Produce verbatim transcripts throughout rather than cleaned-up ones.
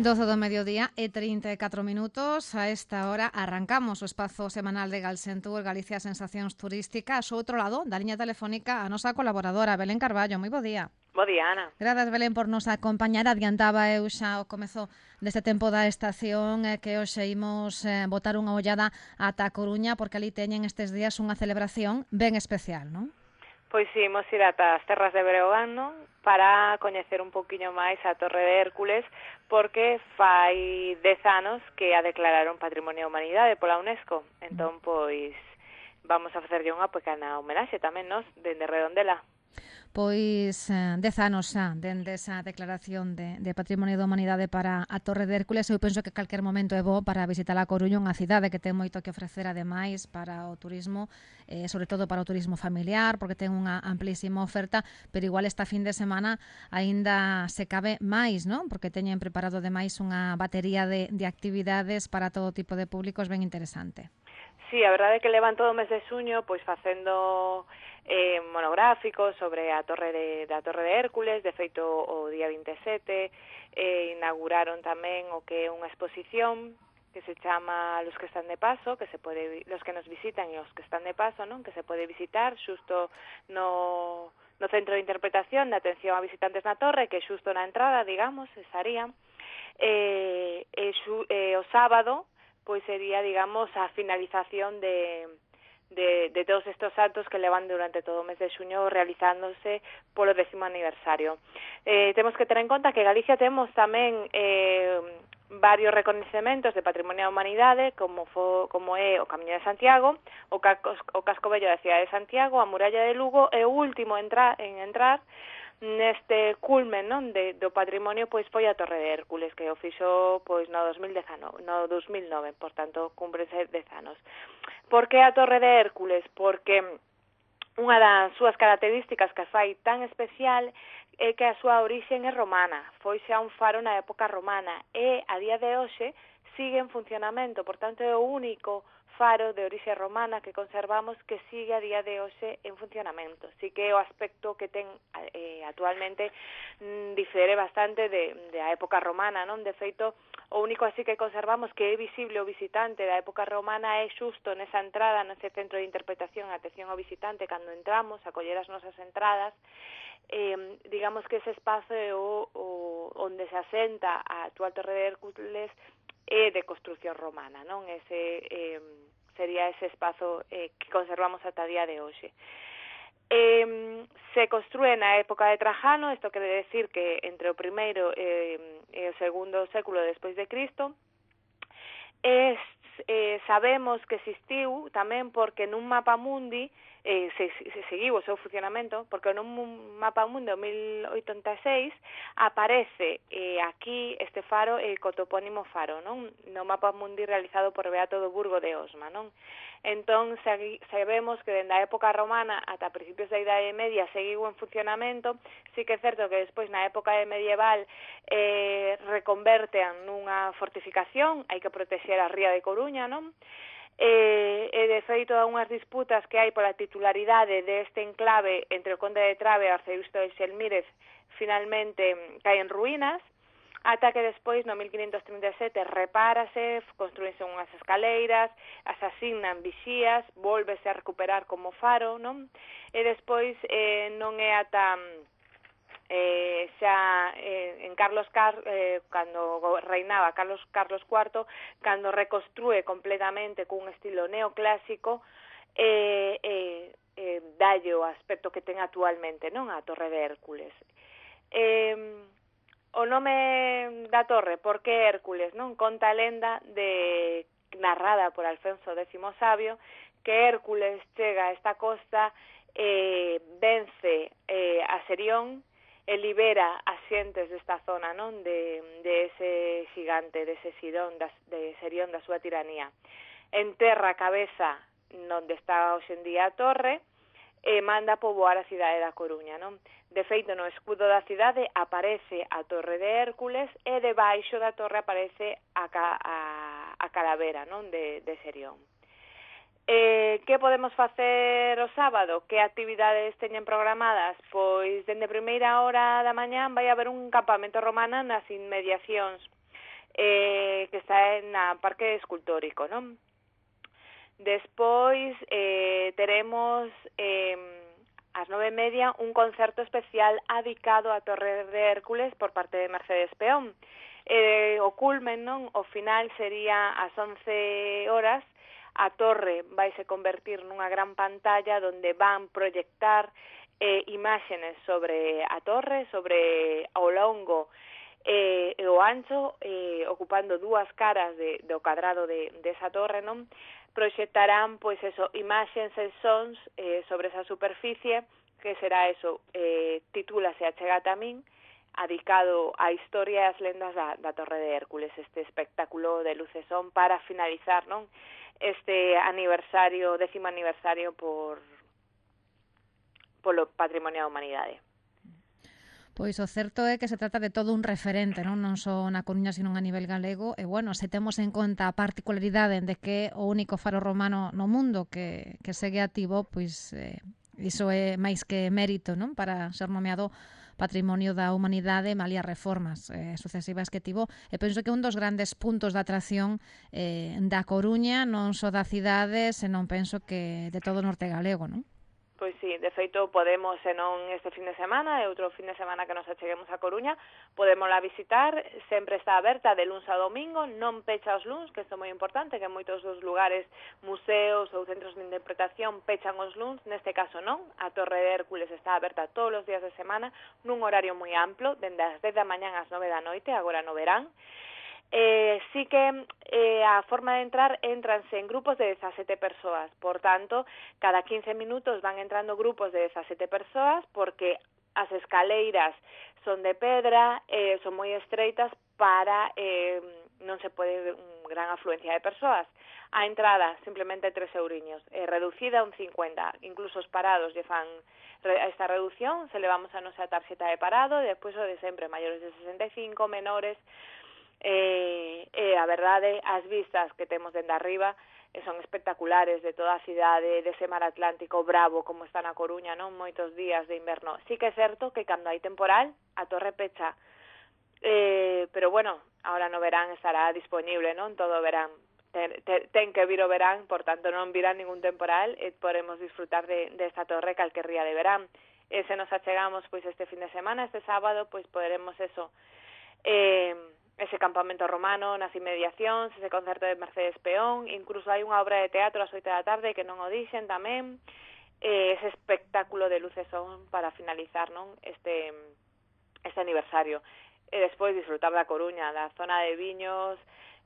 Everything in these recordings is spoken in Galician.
doce do mediodía e trinta e catro minutos. A esta hora arrancamos o espazo semanal de Galsentur, Galicia Sensacións Turísticas. Ao outro lado da liña telefónica a nosa colaboradora Belén Carballo. Moi bo día. Bo día, Ana. Grazas, Belén, por nos acompañar. Adiantaba eu xa o comezo deste tempo da estación eh, que hoxe imos eh, botar unha ollada ata a Coruña, porque ali teñen estes días unha celebración ben especial, non? Pois si, imos ir ata as terras de Breogán, non? Para coñecer un poquinho máis a Torre de Hércules, porque fai dez anos que a declararon Patrimonio da Humanidade pola UNESCO. Entón, pois, vamos a facerlle unha pequena homenaxe tamén, nos, dende Redondela. Pois eh, dez anos xa dende esa declaración de, de Patrimonio da Humanidade para a Torre de Hércules. Eu penso que calquer momento é bo para visitar a Coruña, unha cidade que ten moito que ofrecer ademais para o turismo, eh, sobre todo para o turismo familiar, porque ten unha amplísima oferta, pero igual esta fin de semana aínda se cabe máis, non? Porque teñen preparado ademais unha batería de, de actividades para todo tipo de públicos ben interesante. Sí, a verdade é que levan todo o mes de xuño pois facendo eh, monográficos sobre a torre de, da Torre de Hércules. De feito, o día vinte e sete eh, inauguraron tamén o que é unha exposición que se chama Los que están de paso, que se pode, los que nos visitan e os que están de paso, non? Que se pode visitar xusto no, no centro de interpretación de atención a visitantes na torre, que é xusto na entrada, digamos, estaría. Eh, e, xu, eh, o sábado pois sería, digamos, a finalización de, de, de todos estos actos que levan durante todo o mes de xuño realizándose polo décimo aniversario. Eh, temos que ter en conta que Galicia temos tamén eh, varios recoñecementos de Patrimonio da Humanidade, como, fo, como é o Camiño de Santiago, o, Casco, o Casco Bello da cidade de Santiago, a Muralla de Lugo, e o último entra, en entrar neste culmen, non, de, do patrimonio, pois foi a Torre de Hércules, que o fixo pois no dos mil dezanove, no dos mil nove, por tanto, cúmprese dez anos. Por que a Torre de Hércules? Porque unha das súas características que fai tan especial é que a súa orixen é romana, foi xa un faro na época romana, e a día de hoxe sigue en funcionamento, por tanto é o único faro de orixe romana que conservamos que sigue a día de hoxe en funcionamento. Sí que o aspecto que ten eh, actualmente mm, difere bastante de, de a época romana, non? De feito, o único así que conservamos que é visible o visitante da época romana é xusto nesa entrada, nese centro de interpretación, atención ao visitante, cando entramos a coller as nosas entradas. Eh, digamos que ese espazo é o, o, onde se asenta a actual Torre de Hércules é de construción romana, non? Ese eh, sería ese espazo eh, que conservamos ata a día de hoxe. Eh, se construe na época de Trajano, isto quere decir que entre o primeiro eh, e o segundo século despois de Cristo. E eh, sabemos que existiu tamén porque nun mapa mundi eh, se, se seguiu o seu funcionamento, porque nun mapa mundi do mil oitenta e seis aparece eh, aquí este faro eh, co topónimo faro, non? No mapa mundi realizado por Beato do Burgo de Osma, non? Entón, sabemos que dende a época romana ata principios da Idade Media seguiu en funcionamento. Sí que é certo que despois na época medieval eh, reconverten nunha fortificación, hai que protexer a ría de Coruña, non? E, e de feito a unhas disputas que hai pola titularidade deste enclave entre o Conde de Trave e o arcebispo de Xelmírez finalmente caen en ruínas, ata que despois, no mil quinhentos trinta e sete, repárase, construense unhas escaleiras, as asignan vixías, volvese a recuperar como faro, non? E despois eh, non é ata eh, xa eh, en Carlos Car eh, cando reinaba Carlos Carlos cuarto, cando reconstrúe completamente cun estilo neoclásico, eh, eh, eh, dalle o aspecto que ten actualmente, non? A Torre de Hércules. Eh, O nome da torre, por que Hércules, non? Conta a lenda de narrada por Alfonso décimo Sabio, que Hércules chega a esta costa, eh, vence eh, a Serión e libera as xentes desta zona, non? De, de ese xigante, de ese Sidón, das, de Serión, da súa tiranía. Enterra a cabeza onde está hoxe en día a torre e manda poboar a cidade da Coruña, non? De feito, no escudo da cidade aparece a Torre de Hércules e debaixo da torre aparece a, ca, a, a calavera, non? De, de Serión. Eh, que podemos facer o sábado? Que actividades teñen programadas? Pois, dende primeira hora da mañán vai haber un campamento romano nas inmediacións eh, que está na Parque Escultórico, non? Despois eh, teremos eh, ás nove e media un concerto especial adicado á Torre de Hércules por parte de Mercedes Peón. Eh, o culmen, non? O final sería ás once horas. A torre vaise convertir nunha gran pantalla onde van proyectar eh, imágenes sobre a torre, sobre ao longo e eh, o ancho, eh, ocupando dúas caras de, do cadrado de, de esa torre, non? Proxectarán, pois eso, imaxens e sons eh, sobre esa superficie, que será eso, eh, titúlase Achégate a min, adicado á historia e as lendas da, da Torre de Hércules, este espectáculo de luz e son para finalizar, non? Este aniversario, décimo aniversario por polo Patrimonio da Humanidade. Pois o certo é que se trata de todo un referente, non non só na Coruña, sino a nivel galego, e bueno, se temos en conta a particularidade de que é o único faro romano no mundo que, que segue activo, pois eh, iso é máis que mérito, non, para ser nomeado Patrimonio da Humanidade, malia reformas eh, sucesivas que tivo, e penso que un dos grandes puntos de atracción eh, da Coruña, non só da cidade, senón penso que de todo o norte galego, non? Pois sí, de feito podemos, se non este fin de semana e outro fin de semana que nos acheguemos a Coruña, podémola visitar, sempre está aberta de luns a domingo, non pecha os luns, que isto é moi importante, que moitos dos lugares, museos ou centros de interpretación pechan os luns, neste caso non, a Torre de Hércules está aberta todos os días de semana, nun horario moi amplo, dende as dez da mañán ás nove da noite, agora no verán. Eh, sí que eh, a forma de entrar, entranse en grupos de dezasete persoas, por tanto, cada quince minutos van entrando grupos de dezasete persoas, porque as escaleiras son de pedra, eh, son moi estreitas para eh, non se pode un gran afluencia de persoas. A entrada, simplemente tres euriños, eh, reducida a un cincuenta, incluso os parados lle fan esta reducción, se levamos a nosa tarxeta de parado, e despois o de sempre, maiores de sesenta e cinco, menores. Eh, eh, a verdade, as vistas que temos dende arriba eh, son espectaculares, de toda a cidade, dese mar Atlántico bravo como está na Coruña, non? Moitos días de inverno. Sí que é certo que cando hai temporal a torre pecha, eh, pero bueno, ahora no verán estará disponible, non? Todo o verán. Ten, ten, ten que vir o verán, por tanto non virá ningún temporal e podemos disfrutar de, de esta torre calquer día de verán. E se nos achegamos pois este fin de semana, este sábado, pois poderemos eso, eh, ese campamento romano nas inmediacións, ese concerto de Mercedes Peón, incluso hai unha obra de teatro ás oito da tarde que non o dixen tamén, eh, ese espectáculo de luces son para finalizar, non, este este aniversario. E despois disfrutar da Coruña, da zona de viños,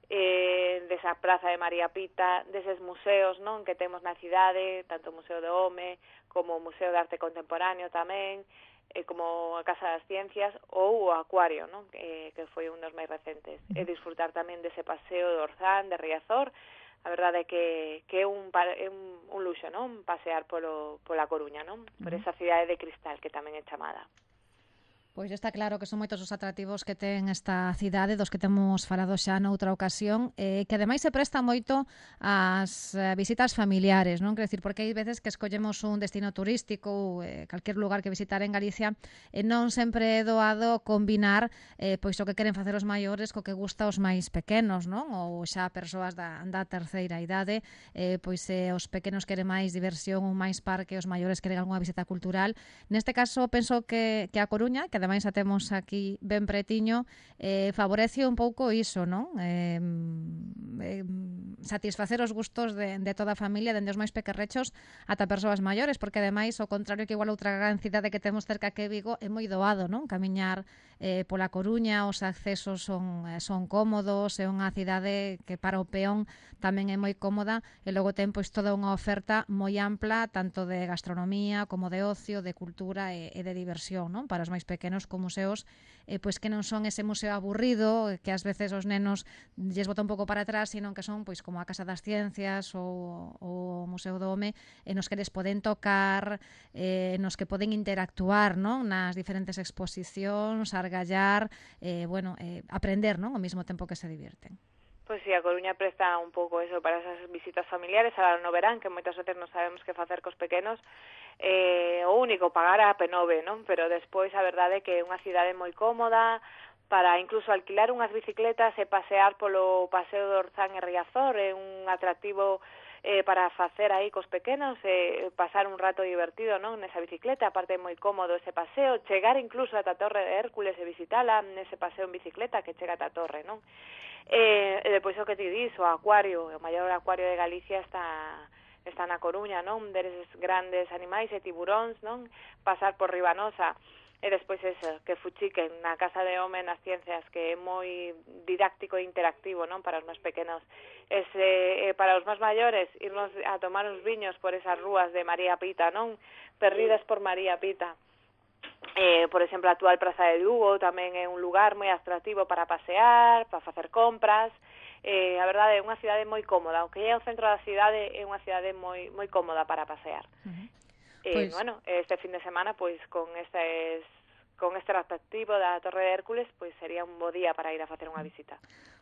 eh, desa praza de María Pita, deses museos, non, que temos na cidade, tanto o Museo do Home como o Museo de Arte Contemporáneo tamén, eh, como a Casa das Ciencias ou o Acuario, non? Que, que foi un dos máis recentes. E disfrutar tamén dese paseo de Orzán, de Riazor. A verdade é que, que é, un, é un, un luxo, non? Pasear polo, pola Coruña, non? Por esa cidade de cristal que tamén é chamada. Pois está claro que son moitos os atractivos que ten esta cidade, dos que temos falado xa noutra ocasión, eh, que ademais se presta moito ás eh, visitas familiares, non? Quer decir, porque hai veces que escollemos un destino turístico ou eh, calquer lugar que visitar en Galicia e non sempre é doado combinar eh, pois o que queren facer os maiores co que gusta os máis pequenos, non? Ou xa persoas da, da terceira idade, eh, pois eh, os pequenos queren máis diversión ou máis parque, os maiores queren algunha visita cultural. Neste caso, penso que, que a Coruña, que ademais a temos aquí ben pretiño, eh, favorece un pouco iso, non? Eh, eh, satisfacer os gustos de, de toda a familia, dende os máis pequerrechos ata persoas maiores, porque ademais, ao contrario que igual outra gran cidade que temos cerca que Vigo, é moi doado, non? Camiñar eh, pola Coruña, os accesos son, son cómodos, é unha cidade que para o peón tamén é moi cómoda, e logo ten pois toda unha oferta moi ampla, tanto de gastronomía como de ocio, de cultura e, e de diversión, non? Para os máis pequenos, con museos eh, pois que non son ese museo aburrido que ás veces os nenos lles bota un pouco para atrás, sino que son pois como a Casa das Ciencias ou o Museo do Home, e nos que les poden tocar, eh, nos que poden interactuar, non? Nas diferentes exposicións, argallar, eh, bueno, eh, aprender, non? Ao mesmo tempo que se divierten. Pois si, sí, a Coruña presta un pouco eso para esas visitas familiares, ahora no verán, que moitas veces non sabemos que facer cos pequenos, eh, o único, pagar a P nove, non? Pero despois a verdade é que é unha cidade moi cómoda, para incluso alquilar unhas bicicletas e pasear polo Paseo do Orzán e Riazor, é un atractivo eh, para facer aí cos pequenos, e eh, pasar un rato divertido, non, nesa bicicleta, aparte é moi cómodo ese paseo, chegar incluso ata a Torre de Hércules e visitala nese paseo en bicicleta que chega ata a torre, non? E, e depois o que te dis, o acuario, o maior acuario de Galicia está está na Coruña, non? Deses grandes animais e tiburóns, non? Pasar por Ribanosa. E despois eso, que fuchiquen na Casa de Home nas Ciencias, que é moi didáctico e interactivo, non, para os máis pequenos. Ese, eh, para os máis maiores, irnos a tomar uns viños por esas rúas de María Pita, non, perdidas por María Pita. Eh, por exemplo, a actual Praza de Lugo tamén é un lugar moi atractivo para pasear, para facer compras. Eh, a verdade é unha cidade moi cómoda, aunque é o centro da cidade, é unha cidade moi moi cómoda para pasear. Uh-huh. Eh, pues... bueno, este fin de semana, pois con estes con este atractivo da Torre de Hércules, pois sería un bo día para ir a facer unha visita.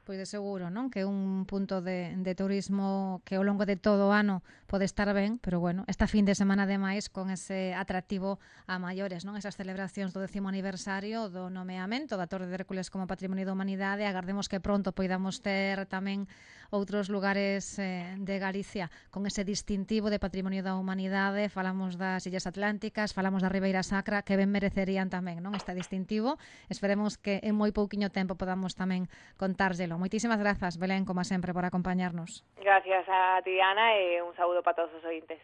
Pois de seguro, non? Que é un punto de, de turismo que ao longo de todo o ano pode estar ben, pero bueno, esta fin de semana ademais con ese atractivo a maiores, non? Esas celebracións do décimo aniversario do nomeamento da Torre de Hércules como Patrimonio da Humanidade, agardemos que pronto poidamos ter tamén outros lugares eh, de Galicia con ese distintivo de Patrimonio da Humanidade. Falamos das Illas Atlánticas, falamos da Ribeira Sacra, que ben merecerían tamén, non, este distintivo. Esperemos que en moi pouquiño tempo podamos tamén contárselo. Moitísimas grazas, Belén, como sempre, por acompañarnos. Gracias a ti, Ana, e un saúdo para todos os ointes.